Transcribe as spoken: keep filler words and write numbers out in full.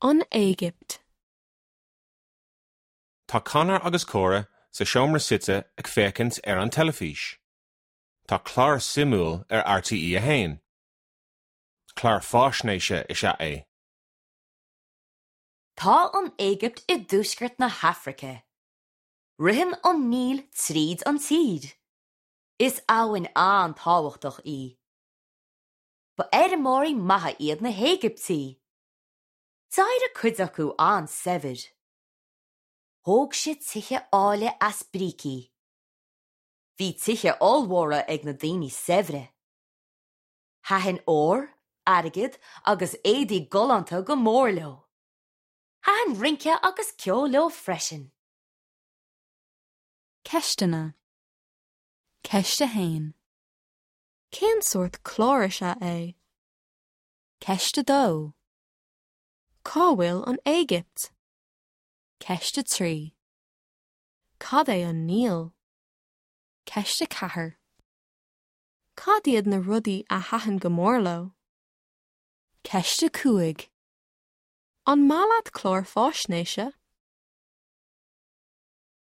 An Éigipt. Tá Conor agus Cora sa seomra suite ag féachaint ar an teilifís. Tá clár suimiúil ar RTÉ a haon. Clár faisnéise is ea é. Tá an Éigipt i dtuaisceart na hAfraice. Ritheann an Níl tríd an tír. Is abhainn an-tábhachtach í. Ba fheirmeoirí maithe iad na hÉigiptigh. D'éirigh cuid acu an-saibhir. Thóg siad tithe áille as brící. Bhí tithe ollmhóra ag na daoine saibhre. Thaitin ór, airgead agus éadaí galánta go mór leo. Thaitin rince agus ceol leo freisin. Ceisteanna. Ceist a haon. Cén sórt clár is ea é? Ceist a dó. Cá bhfuil an Éigipt? Ceist a trí. Cad é an Níl? Ceist a ceathair. Cad iad na rudaí a thaitin go mór leo? Ceist a cúig. An maith leat cláir faisnéise?